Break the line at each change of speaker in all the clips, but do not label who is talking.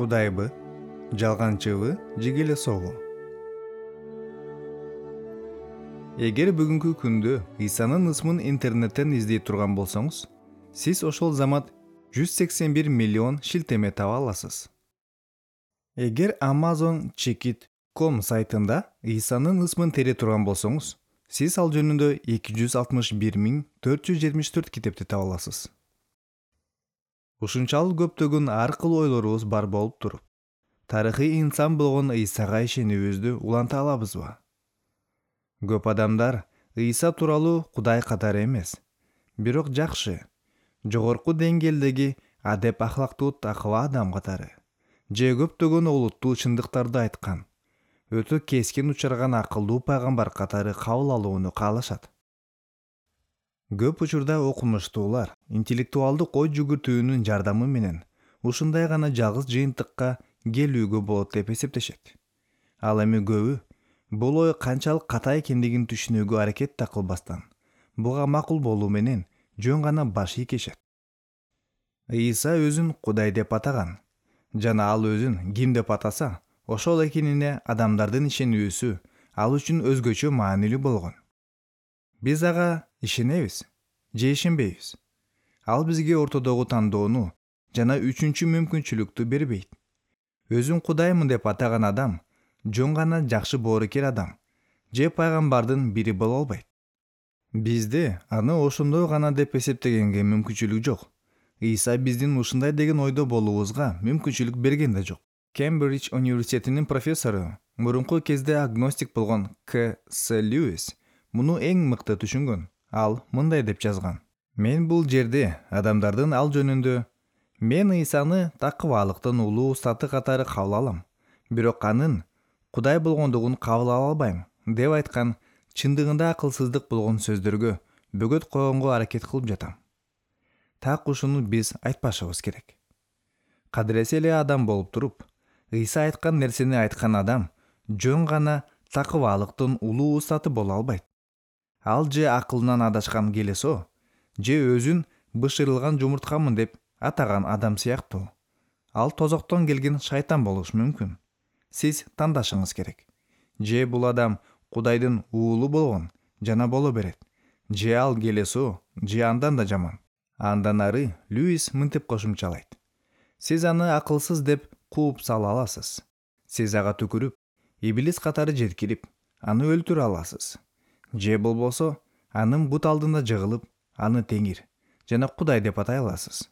Кудайбы, жалганчыбы, же келесобу? Эгер бүгүнкү күндө Исанын ысмын интернеттен издей турган болсоңуз, сиз ошол замат 181 миллион шилтеме таба аласыз. Эгер Amazon.com сайтында Исанын ысмын тере турган болсоңуз, сиз ал жөнүндө 261.474 китепти таба аласыз. Ушунчалык көптөгөн ар кыл ойлорубуз бар болуп туруп, тарыхый инсан болгон Исага ишенүүбүздү уланта алабызбы? Көп адамдар Иса тууралуу Кудай катары эмес, бирок жакшы, жогорку деңгээлдеги адеп ахлактуу такыба адам катары, же көптөгөн олуттуу чындыктарды айткан, өтө кескин учурган акылдуу пайгамбар катары кабыл алууну каалашат. Көп учурда окумуштуулар интеллектуалдык ой жүгүртүүнүн жардамы менен ушундай гана жалгыз жыйынтыкка келүүгө болот деп эсептешет. Ал эми көбү бул ой канчалык ката экендигин түшүнүүгө аракет да кылбастан, буга макул болуу менен жөн гана баш ийкешет. Иса өзүн Кудай деп атаган жана ал өзүн ким деп атаса, ошол экенине адамдардын ишенүүсү ал үчүн өзгөчө маанилүү болгон. Биз ага ишенебиз же ишенбейбиз? Ал бизге ортодогу тандоону жана үчүнчү мүмкүнчүлүктү бербейт. Өзүн Кудаймын деп атаган адам жөн гана жакшы боорукер адам же пайгамбардын бири боло албайт. Бизде аны ошондой гана деп эсептегенге мүмкүнчүлүк жок. Иса биздин ушундай деген ойдо болуубузга мүмкүнчүлүк берген да жок. Кембридж университетинин профессору, мурунку кезде агностик болгон К.С. Льюис муну эң мыкты түшүнгөн. Ал мындай деп жазган: "Мен бул жерде адамдардын ал жөнүндө мен Исаны такыбалыктын улуу устаты катары кабыл алам, бирок анын Кудай болгондугун кабыл ала албайм" деп айткан чындыгында акылсыздык болгон сөздөргө бөгөт койгонго аракет кылып жатам. Так ушуну биз айтпашыбыз керек. Кадыресе эле адам болуп туруп, Иса айткан нерсени айткан адам жөн гана такыбалыктын улуу устаты боло албайт. Ал же акылынан адашкан келесо, же өзүн бышырылган жумурткамын деп атаган адам сыяктуу. Ал тозоктон келген шайтан болушу мүмкүн. Сиз тандашыңыз керек. Же бул адам Кудайдын уулу болгон жана боло берет, же ал келесо, же андан да жаман. Андан ары Льюис мынтип кошумчалайт: "Сиз аны акылсыз деп кууп сала аласыз. Сиз ага түкүрүп, иблис катары жеткирип, аны өлтүрө аласыз. Же болбосо, анын бут алдында жыгылып, аны теңир жана Кудай деп атай аласыз.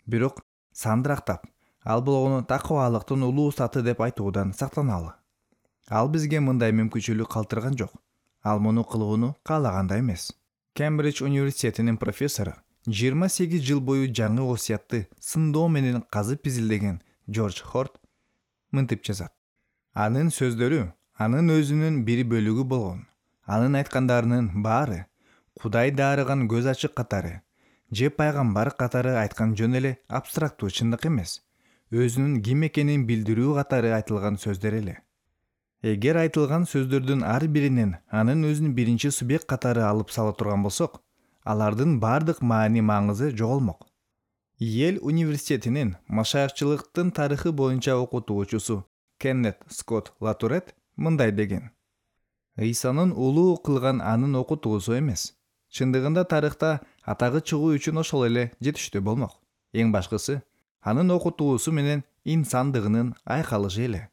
Бирок сандырактап, ал болгону такыбалыктын улуу устаты деп айтуудан сактаналы. Ал бизге мындай мүмкүнчүлүк калтырган жок. Ал муну кылууну каалаганда эмес." Кембридж университетинин профессору 28 жыл бою жаңы осуятты сындоо менен казып изилдеген Джордж Хорт мынтип жазат: "Анын сөздөрү анын өзүнүн бир бөлүгү болгон. Анын айткандарынын баары Кудай дарыган көз ачык катары же пайгамбар катары айткан жөн эле абстрактуу чындык эмес, өзүнүн ким экенин билдирүү катары айтылган сөздөр эле. Эгер айтылган сөздөрдүн ар биринен анын өзүн биринчи субъект катары алып сала турган болсок, алардын бардык маани-маңызы жоголмок." Йель университетинин машайыкчылыктын тарыхы боюнча окутуучусу Кеннет Скотт Латурет мындай деген: "Исанын улуу кылган анын окутуусу эмес. Чындыгында тарыхта атагы чыгуу үчүн ошол эле жетиштүү болмок. Эң башкысы, анын окутуусу менен инсандыгынын айкалышы эле.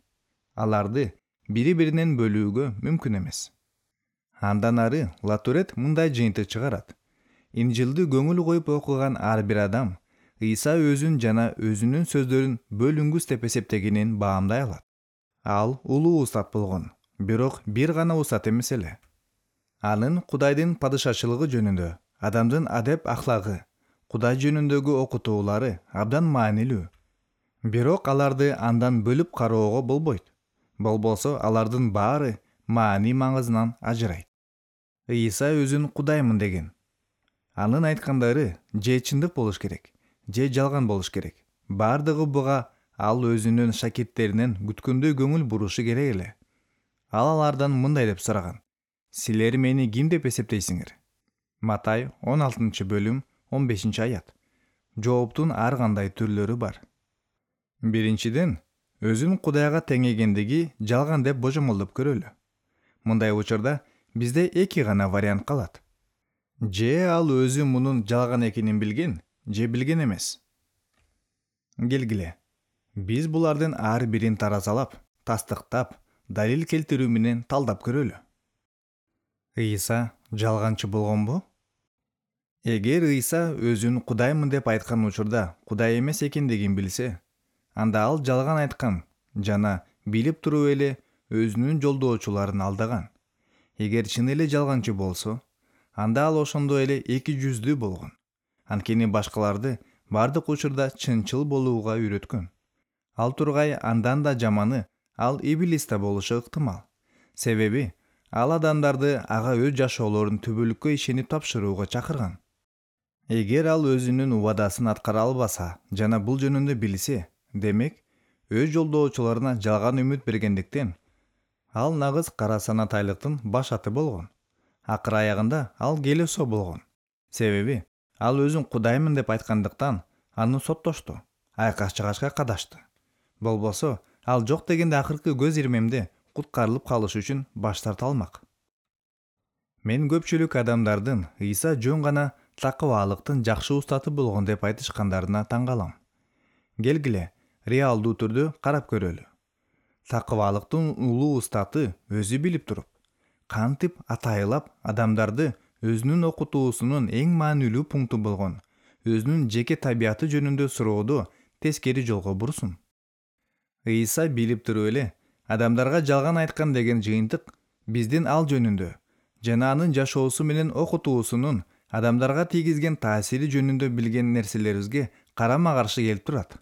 Аларды бири-биринен бөлүүгө мүмкүн эмес." Андан ары Латурет мындай жыйынтык чыгарат: "Инжилди көңүл коюп окуган ар бир адам Иса өзүн жана өзүнүн сөздөрүн бөлүнгүс деп эсептегенин баамдай алат. Ал улуу устат болгон, бирок бир гана устат эмес эле. Анын Кудайдын падышачылыгы жөнүндө, адамдын адеп ахлагы, Кудай жөнүндөгү окутуулары абдан маанилүү. Бирок аларды андан бөлүп кароого болбойт. Болбосо алардын баары маани-маңызынан ажырайт. Иса өзүн Кудаймын деген. Анын айткандары же чындык болуш керек, же жалган болуш керек. Бардыгы буга ал өзүнүн шакирттеринен күткөндөй көңүл бурушу керек эле. Ал алардан мындай деп сураган: "Силер мени ким деп эсептейсиңер?" Матай 16 бөлүм 15 аят. Жооптун ар кандай түрлөрү бар. Биринчиден, өзүн Кудайга теңегендиги жалган деп божомолдоп көрөлү. Мындай учурда бизде эки гана вариант калат. Же ал өзү мунун жалган экенин билген, же билген эмес. Келгиле. Биз булардын ар бирин таразалап, тастыктап, далил келтирүү менен талдап көрөлү. Ыйса жалганчы болгонбу? Эгер Ыйса өзүн Кудаймын деп айткан учурда Кудай эмес экендигин билсе, анда ал жалган айткан жана билип туруп эле өзүнүн жолдоочуларын алдаган. Эгер чын эле жалганчы болсо, анда ал ошондой эле эки жүздүү болгон. Анткени башкаларды бардык учурда чынчыл болууга үйрөткөн. Ал тургай андан да жаманы ал Иблис да болушу ыктымал. Себеби ал адамдарды ага өз жашоолорун түбөлүккө ишенип тапшырууга чакырган. Эгер ал өзүнүн убадасын аткара албаса жана бул жөнүндө билсе, демек өз жолдоочуларына жалган үмүт бергендиктен ал нагыз кара санатайлыктын баш аты болгон. Акыр аягында ал келесоо болгон. Себеби ал өзүн Кудаймын деп айткандыктан аны соттошту, айкаш чыгашка кадашты. Болбосо ал жок дегенде акыркы көз ирмемде куткарылып калыш үчүн баш тарта алмак. Мен көпчүлүк адамдардын Ыйса жөн гана такыбаалыктын жакшы устаты болгон деп айтышкандарына таң калам. Келгиле, реалдуу түрдө карап көрөлү. Такыбаалыктын улуу устаты өзү билип туруп, кантип атайылап адамдарды өзүнүн окутуусунун эң маанилүү пункту болгон өзүнүн жеке табияты жөнүндө сурооду тескери жолго бурсун. Ыйса билип туруп эле адамдарга жалган айткан деген жыйынтык биздин ал жөнүндө жана анын жашоосу менен окутуусунун адамдарга тийгизген таасири жөнүндө билген нерселерибизге карама каршы келип турат.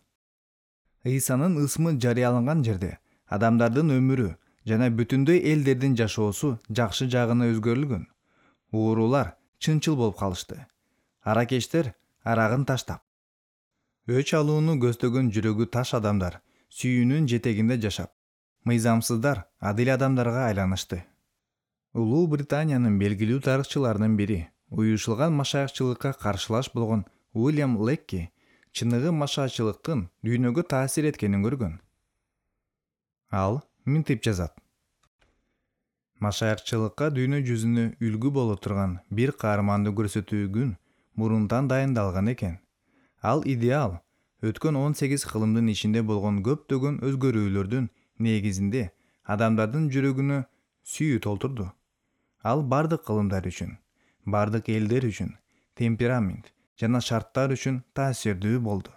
Ыйсанын ысмы жарыяланган жерде адамдардын өмүрү жана бүтүндөй элдердин жашоосу жакшы жагына өзгөрүлгөн. Уурулар чынчыл болуп калышты. Аракечтер арагын таштап, өч алууну көздөгөн жүрөгү таш адамдар сүйүүнүн жетегинде жашап, мыйзамсыздар адил адамдарга айланышты. Улуу Британиянын белгилүү тарыхчыларынын бири, уюшулган машаякчылыкка каршылаш болгон Уильям Лекки чыныгы машаачылыктын дүйнөгө таасир эткенин көргөн. Ал мынтип жазат: машаякчылыкка дүйнө жүзүнө үлгү боло турган бир каарманды көрсөтүү күн мурунтан дайындалган экен. Ал идеал өткөн 18 кылымдын ичинде болгон көптөгөн өзгөрүүлөрдүн негизинде адамдардын жүрөгүнө сүйүү толтурду. Ал бардык кылымдар үчүн, бардык элдер үчүн, темперамент жана шарттар үчүн таасирдүү болду.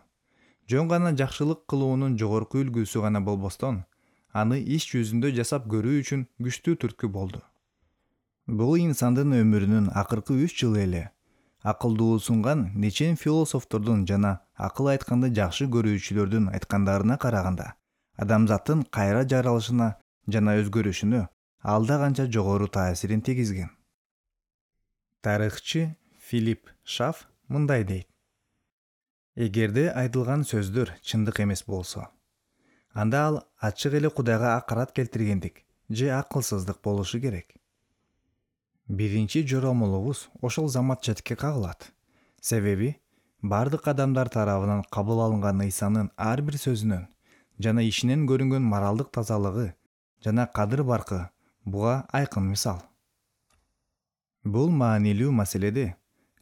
Жөн гана жакшылык кылуунун жогорку үлгүсү гана болбостон, аны иш жүзүндө жасап көрүү үчүн күчтүү түрткү болду. Бул инсандын өмүрүнүн акыркы 3 жылы эле акылдуусунган нечен философтордун жана акыл айтканды жакшы көрүүчүлөрдүн айткандарына караганда, адамзаттын кайра жаралышына жана өзгөрүшүнө алда канча жогору таасирин тийгизген. Тарыхчы Филипп Шаф мындай дейт: эгерде айтылган сөздөр чындык эмес болсо, анда ал ачык эле Кудайга акарат келтиргендик же акылсыздык болушу керек. Биринчи жоромолубуз ошол замат четке кагылат. Себеби бардык адамдар тарабынан кабыл алынган Ыйсанын ар бир сөзүнөн жана ишинен көрүнгөн моралдык тазалыгы жана кадыр-баркы буга айкын мисал. Бул маанилүү маселеде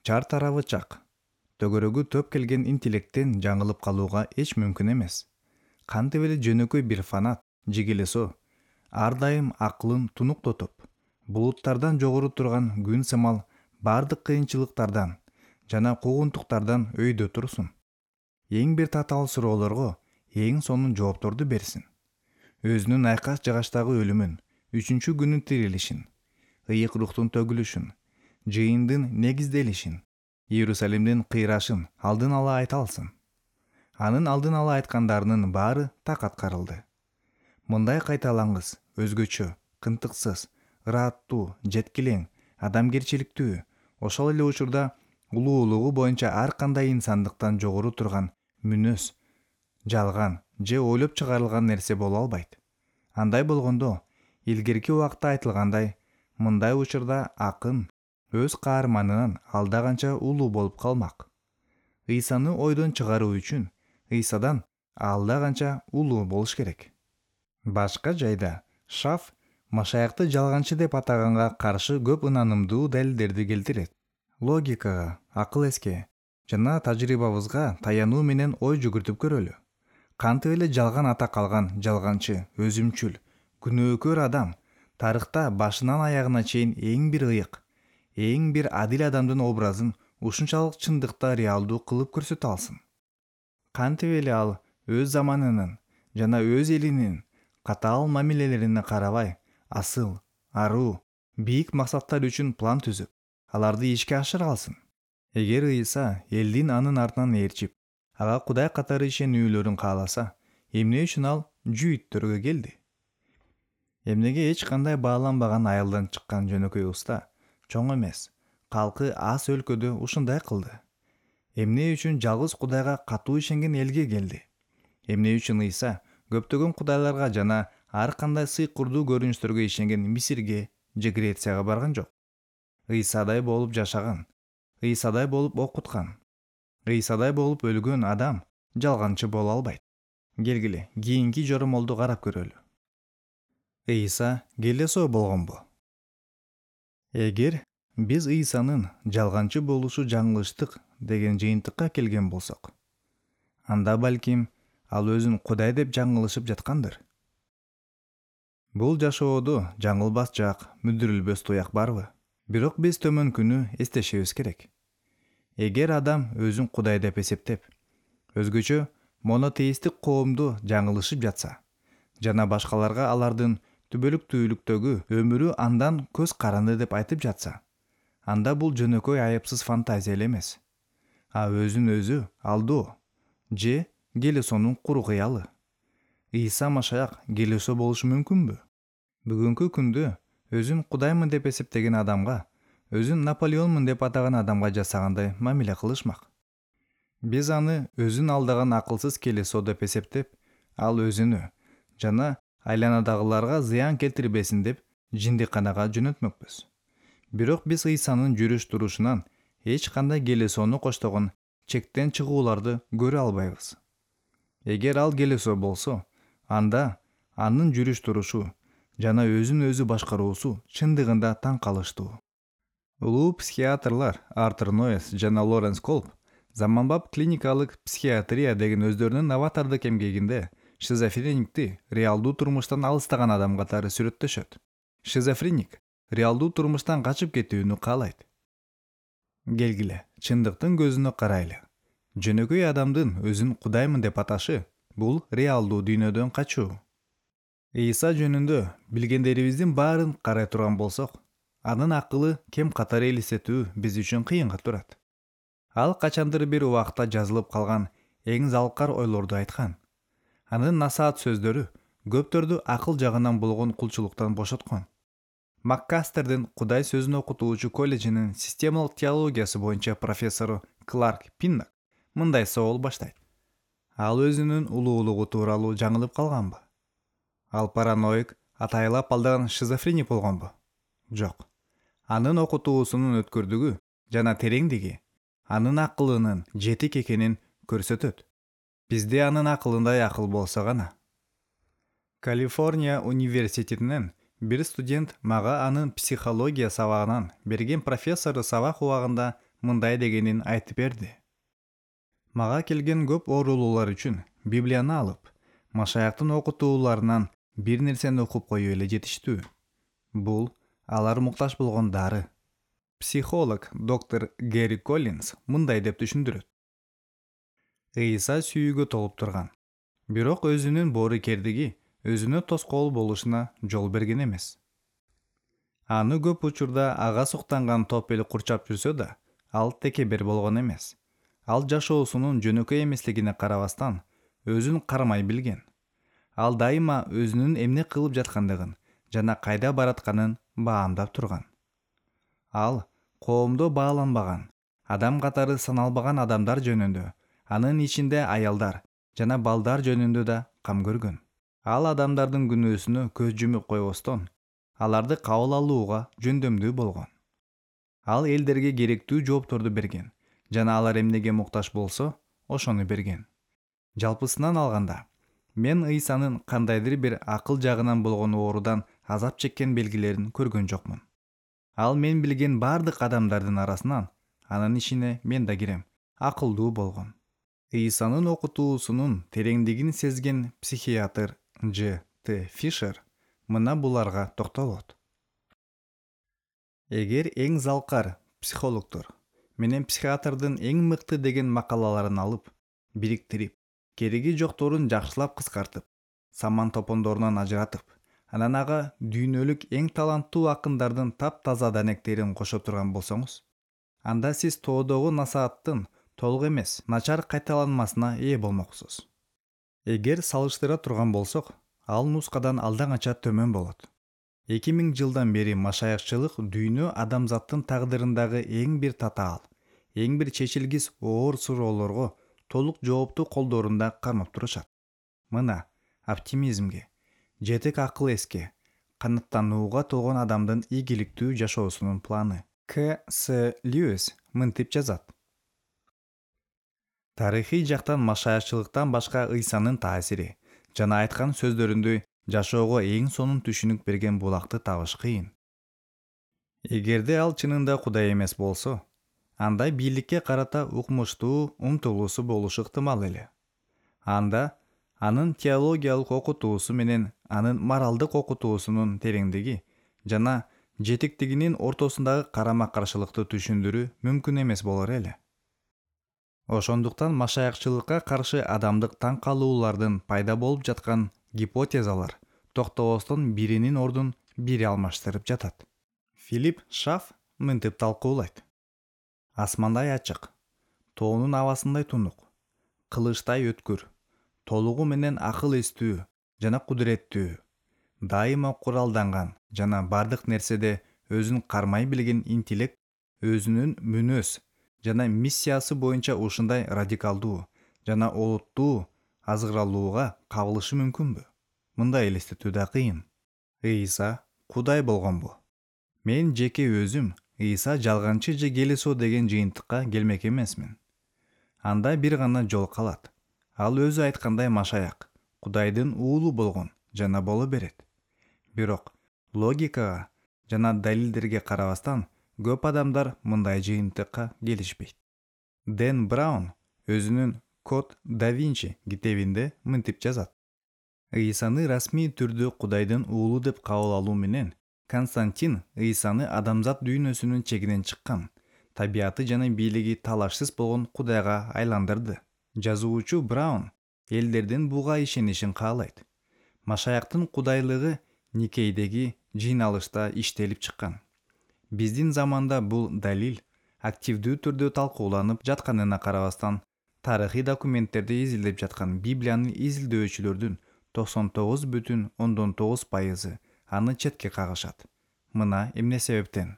чар тарабы чак, төгөрөгү төп келген интеллекттен жаңылып калууга эч мүмкүн эмес. Кантип эле жөнөкөй бир фанат, жигелесо, ар дайым акылын тунуктотуп, булуттардан жогору турган күн сымал бардык кыйынчылыктардан жана куугунтуктардан өйдө турсун. Эң бир татаал суроолорго эң сонун жоопторду берсин. Өзүнүн айкаш жыгачтагы өлүмүн, 3-күнү күнүн тирилишин, ыйык рухтун төгүлүшүн, жыйындын негизделишин, Иерусалимдин кыйрашын алдын ала айта алсын. Анын алдын ала айткандарынын баары так аткарылды. Мындай кайталаңгыс, өзгөчө, кынтыксыз, ырааттуу, жеткилең, адамгерчиликтүү, ошол эле учурда улуулугу боюнча ар кандай инсандыктан жогору турган мүнөз, жалган же ойлоп чыгарылган нерсе боло албайт. Андай болгондо, илгерки убакта айтылгандай, мындай учурда акын өз каарманынан алда канча улуу болуп калмак. Ыйсаны ойдон чыгаруу үчүн Ыйсадан ал да канча улуу болуш керек. Башка жайда Шаф Машаякты жалганчы деп атаганга каршы көп ынанымдуу далилдерди келтирет. Логикага, акыл эске жана тажрыйбабызга таянуу менен ой жүгүртүп көрөлү. Кантип эле жалган атак алган жалганчы, өзүмчүл, күнөөкөр адам тарыхта башынан аягына чейин эң бир ыйык, эң бир адил адамдын образын ушунчалык чындыкта реалдуу кылып көрсөтө алсын? Кантип эле ал өз заманынын жана өз элинин катаал мамилелерине карабай, асыл, аруу, бийик максаттар үчүн план түзүп, аларды ишке ашыра алсын? Эгер Ыйса элдин анын артынан ээрчип, ага Кудай катары ишенүүлөрүн кааласа, эмне үчүн ал жүйүттөргө келди? Эмнеге эч кандай бааланбаган айылдан чыккан жөнөкөй уста, чоң эмес, калкы аз өлкөдө ушундай кылды? Эмне үчүн жалгыз Кудайга катуу ишенген элге келди? Эмне үчүн Ыйса көптөгөн кудайларга жана ар кандай сый-курдуу көрүнүштөргө ишенген Мисирге же Грецияга барган жок? Ыйсадай болуп жашаган, Ыйсадай болуп окуткан, Ыйсадай болуп өлгөн адам жалганчы боло албайт. Келгиле, кийинки жоромолду карап көрөлү. Ыйса келесоо болгонбу? Эгер биз Ыйсанын жалганчы болушу жаңылыштык деген жыйынтыкка келген болсок, анда балким ал өзүн Кудай деп жаңылышып жаткандыр. Бул жашоодо жаңылбас жак, мүдүрүлбөс туяк барбы? Бирок биз төмөнкүнү эстешибиз керек. Эгер адам өзүн Кудай деп эсептеп, өзгөчө монотеисттик коомду жаңылышып жатса, жана башкаларга алардын түбөлүктүүлүктөгү өмүрү андан көз каранды деп айтып жатса, анда бул жөнөкөй айыпсыз фантазия эле эмес, а өзүн өзү алдоо же келесонун куру кыялы. Ыйса Машаяк келесоо болушу мүмкүнбү? Бүгүнкү күндө өзүн Кудаймын деп эсептеген адамга, өзүн Наполеонмун деп атаган адамга жасагандай мамиле кылышмак. Биз аны өзүн алдаган акылсыз келесоо деп эсептеп, ал өзүнө жана айланадагыларга зыян келтирбесин деп жиндикканага жөнөтмөкпүз. Бирок биз Ыйсанын жүрүш-турушунан эч кандай келесоону коштогон чектен чыгууларды көрө албайбыз. Эгер ал келесоо болсо, анда анын жүрүш-турушу жана өзүн өзү башкаруусу чындыгында таң калыштуу. Улуу психиатрлар Артур Ноэс жана Лоренс Колб заманбап клиникалык психиатрия деген өздөрүнүн новатордук эмгегинде шизофреникти реалдуу турмуштан алыстаган адам катары сүрөттөшөт. Шизофреник реалдуу турмуштан качып кетүүнү каалайт. Келгиле, чындыктын көзүнө карайлы. Жөнөкөй адамдын өзүн Кудаймын деп аташы бул реалдуу дүйнөдөн качуу. Ыйса жөнүндө билгендерибиздин баарын карай турган болсок, анын акылы кем катары элестетүү биз үчүн кыйынга турат. Ал качандыр бир убакта жазылып калган эң залкар ойлорду айткан. Анын насаат сөздөрү көптөрдү акыл жагынан болгон кулчулуктан бошоткон. Маккастердин Кудай сөзүн окутуучу колледжинин системалык теологиясы боюнча профессору Кларк Пиннак мындай соол баштайт. Ал өзүнүн улуулугу тууралуу жаңылып калганбы? Ал параноик, атайлап алдаган шизофреник болгонбу? Жок. Анын окутуусунун өткөрдүгү жана тереңдиги анын акылынын жетик экенин көрсөтөт. Бизде анын акылындай акыл болсо гана. Калифорния университетинен бир студент мага анын психология сабагынан берген профессору сабак убагында мындай дегенин айтып берди. Мага келген көп оорулуулар үчүн Библияны алып, Машаяктын окутууларынан бир нерсени окуп коюу эле жетиштүү. Бул алар муктаж болгон дары. Психолог доктор Гэри Коллинс мындай деп түшүндүрөт. Ыйса сүйүүгө толуп турган, бирок өзүнүн боорукердиги өзүнө тоскоол болушуна жол берген эмес. Аны көп учурда ага суктанган топ эл курчап жүрсө да, ал текебер болгон эмес. Ал жашоосунун жөнөкөй эмеслигине карабастан, өзүн кармай билген. Ал дайыма өзүнүн эмне кылып жаткандыгын жана кайда баратканын баамдап турган. Ал коомдо бааланбаган, адам катары саналбаган адамдар жөнүндө, анын ичинде аялдар жана балдар жөнүндө да кам көргөн. Ал адамдардын күнөөсүнө көз жумуп койбостон, аларды кабыл алууга жөндөмдүү болгон. Ал элдерге керектүү жоопторду берген жана алар эмнеге муктаж болсо, ошону берген. Жалпысынан алганда, мен Ыйсанын кандайдыр бир акыл жагынан болгон оорудан азап чеккен белгилерин көргөн жокмун. Ал мен билген бардык адамдардын арасынан, анын ичине мен да кирем, акылдуу болгон. Ыйсанын окутуусунун тереңдигин сезген психиатр Дж. Т. Фишер мына буларга токтолот. Эгер эң залкар психологдор менен психиатрдын эң мыкты деген макалаларын алып, бириктирип, кереги жокторун жакшылап кыскартып, саман топондорунан ажыратып, анан ага дүйнөлүк эң таланттуу акындардын таптаза данектерин кошо турган болсоңуз, анда сиз тоодогу насааттын толук эмес, начар кайталанмасына ээ болмоксуз. Эгер салыштыра турган болсок, ал нускадан алдан кача төмөн болот. 2000 жылдан бери машаякчылык дүйнө адамзаттын тагдырындагы эң бир татаал, эң бир чечилгис оор суроолорго толук жоопту колдорунда кармап турушат. Мына оптимизмге, жетек акыл эске, канаттанууга толгон адамдын ийгиликтүү жашоосунун планы. К. С. Льюис мынтип жазат. Тарыхый жактан машаякчылыктан башка Ыйсанын таасири жана айткан сөздөрүндө жашоого эң сонун түшүнүк берген булакты табыш кыйын. Эгерде ал чынында Кудай эмес болсо, анда бийликке карата укмуштуу умтулуусу болушу ыктымал эле. Анда анын теологиялык окутуусу менен анын моралдык окутуусунун тереңдиги жана жетиктигинин ортосундагы карама-каршылыкты түшүндүрүү мүмкүн эмес болор эле. Ошондуктан машаякчылыкка каршы адамдык таң калуулардын пайда болуп жаткан гипотезалар токтобостон биринин ордун бири алмаштырып жатат. Филипп Шаф мынтип талкуулайт. Асмандай ачык, тоонун абасындай тунук, кылычтай өткүр, толугу менен акыл эстүү жана кудуреттүү, дайыма куралданган жана бардык нерседе өзүн кармай билген интеллект өзүнүн мүнөз жана миссиясы боюнча ушундай радикалдуу жана олуттуу азгыралууга кабылышы мүмкүнбү? Мындай элестетүү да кыйын. Ыйса Кудай болгонбу? Мен жеке өзүм Ыйса жалганчы же келесоо деген жыйынтыкка келмек эмесмин. Анда бир гана жол калат. Ал өзү айткандай Машаяк, Кудайдын уулу болгон жана боло берет. Бирок логикага жана далилдерге карабастан көп адамдар мындай жыйынтыкка келишпейт. Дэн Браун өзүнүн Код да Винчи китебинде мынтип жазат. Ыйсаны расмий түрдө Кудайдын уулу деп кабыл алуу менен Константин Ыйсаны адамзат дүйнөсүнүн чегинен чыккан, табияты жана бийлиги талашсыз болгон Кудайга айландырды. Жазуучу Браун элдердин буга ишенишин каалайт. Машаяктын кудайлыгы Никейдеги жыйналышта иштелип чыккан. Биздин заманда бул далил активдүү түрдө талкууланып жатканына карабастан, тарыхый документтерди изилдеп жаткан Библиянын изилдөөчүлөрдүн 99,9% аны четке кагышат. Мына эмне себептен.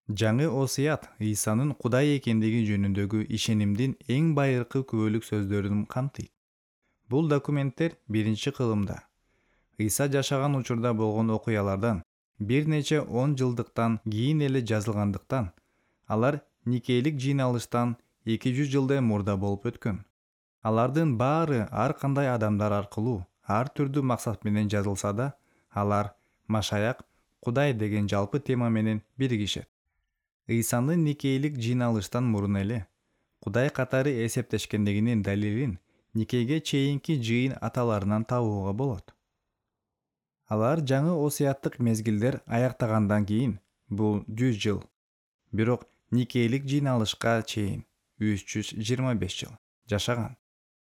Жаңы осуят Ыйсанын Кудай экендиги жөнүндөгү ишенимдин эң байыркы күбөлүк сөздөрүн камтыйт. Бул документтер биринчи кылымда Ыйса жашаган учурда болгон окуялардан бир нече 10 жылдыктан кийин эле жазылгандыктан, алар Никейлик жыйналыштан 200 жылдай мурда болуп өткөн. Алардын баары ар кандай адамдар аркылуу ар түрдүү максат менен жазылса да, алар Машаяк, Кудай деген жалпы тема менен биригишет. Ыйсаны Никейлик жыйналыштан мурун эле Кудай катары эсептешкендигинин далилин Никейге чейинки жыйын аталарынан табууга болот. Алар жаңы осуяттык мезгилдер аяктагандан кийин, бул 100 жыл, бирок Никейлик жыйналышка чейин 325 жыл жашаган.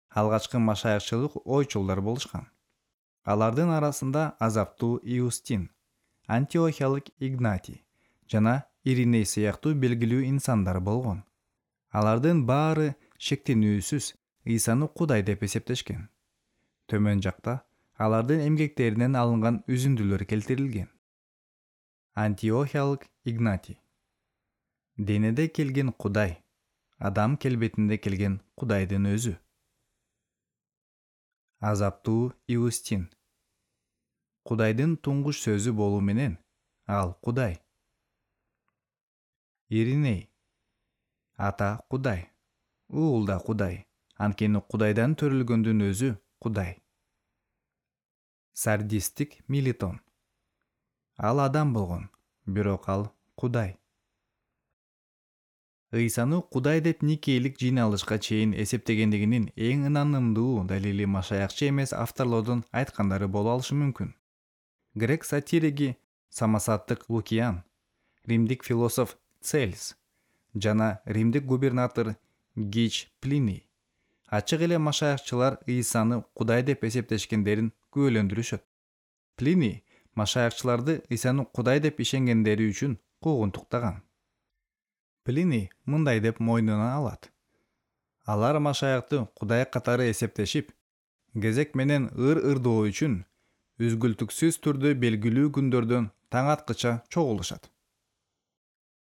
Алгачкы машаякчылык ойчулдар болушкан. Алардын арасында азаптуу Иустин, Антиохиялык Игнатий жана Ириней сыяктуу белгилүү инсандар болгон. Алардын баары шектенүүсүз Ыйсаны Кудай деп эсептешкен. Төмөн жакта алардын эмгектеринен алынган үзүндүлөр келтирилген. Антиохиялык Игнатий. Денеде келген Кудай, адам келбетинде келген Кудайдын өзү. Азаптуу Иустин. Кудайдын туңгуш сөзү болуу менен ал Кудай. Ириней. Ата Кудай, уул да Кудай, анткени Кудайдан төрөлгөндүн өзү Кудай. Сардистик Милитон. Ал адам болгон, бирок ал Кудай. Ыйсаны Кудай деп Никейлик жыйналышка чейин эсептегендигинин эң ынанымдуу далили машаякчы эмес авторлордун айткандары боло алышы мүмкүн. Грек сатириги самосаттык Лукиан, римдик философ Цельс жана римдик губернатор Гич Плиний ачык эле машаякчылар Ыйсаны Кудай деп эсептешкендерин күбөлөндүрүшөт. Плиний машаякчыларды Ыйсаны Кудай деп ишенгендери үчүн куугунтуктаган. Плиний мындай деп мойнуна алат: алар машаякты Кудай катары эсептешип, кезек менен ыр-ырдоо үчүн үзгүлтүксүз түрдө белгилүү күндөрдөн таң аткыча чогулушат.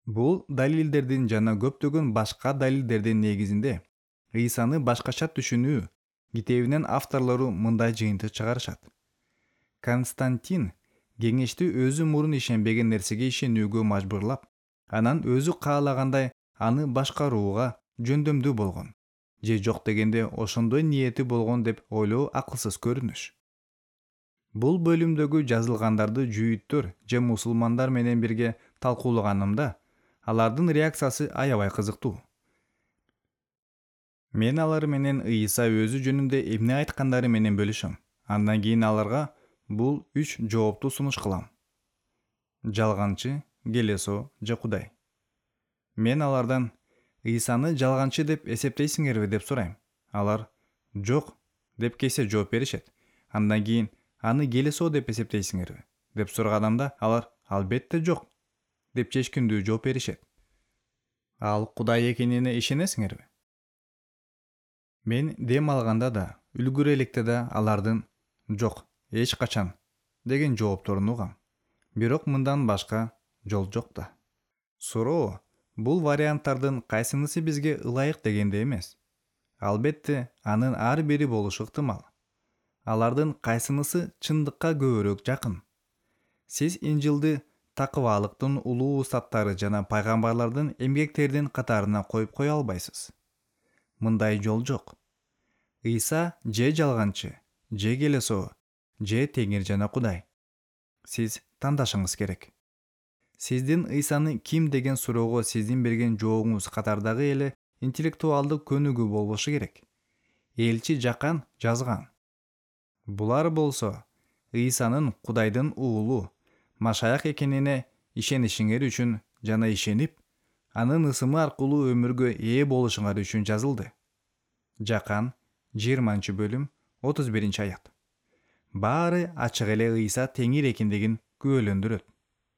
Бул далилдердин жана көптөгөн башка далилдердин негизинде Ыйсаны башкача түшүнүү китебинин авторлору мындай жыйынтык чыгарышат. Константин кеңешти өзү мурун ишенбеген нерсеге ишенүүгө мажбурлап, анан өзү каалагандай аны башкарууга жөндөмдүү болгон, же жок дегенде ошондой ниети болгон деп ойлоо акылсыз көрүнүш. Бул бөлүмдөгү жазылгандарды жүйүттөр же мусулмандар менен бирге талкуулаганымда, алардын реакциясы аябай кызыктуу. Мен алар менен Ыйса өзү жөнүндө эмне айткандары менен бөлүшөм. Андан кийин аларга бул 3 жоопту сунуш кылам. Жалганчы, келесоо же Кудай. Мен алардан Ыйсаны жалганчы деп эсептейсиңерби деп сурайм. Алар жок деп кесе жооп беришет. Андан кийин аны келесоо деп эсептейсиңерби деп сураганда алар албетте жок деп чечкиндүү жооп беришет. Ал Кудай экенине ишенесиңерби? Мен дем алганда да, үлгүрө электе да алардын жок, эч качан деген жоопторун угам. Бирок мындан башка жол жок да. Суроо бул варианттардын кайсынысы бизге ылайык дегенде эмес. Албетте, анын ар бири болушу ыктымал. Алардын кайсынысы чындыкка көбүрөөк жакын? Сиз Инжилди такыбалыктын улуу устаттары жана пайгамбарлардын эмгектеринин катарына коюп кое албайсыз. Мындай жол жок. Ыйса же жалганчы, же келесоо, же Теңир жана Кудай. Сиз тандашыңыз керек. Сиздин Ыйсаны ким деген суроого сиздин берген жообуңуз катардагы эле интеллектуалдык көнүгүү болбошу керек. Элчи Жакан жазган. Булар болсо Ыйсанын Кудайдын уулу, машаяк экенине ишенишиңер үчүн жана ишенип, анын ысымы аркылуу өмүргө ээ болушуңар үчүн жазылды. Жакан 20-бөлүм 31-аят. Баары ачык эле Ыйса Теңир экендигин күбөлөндүрөт.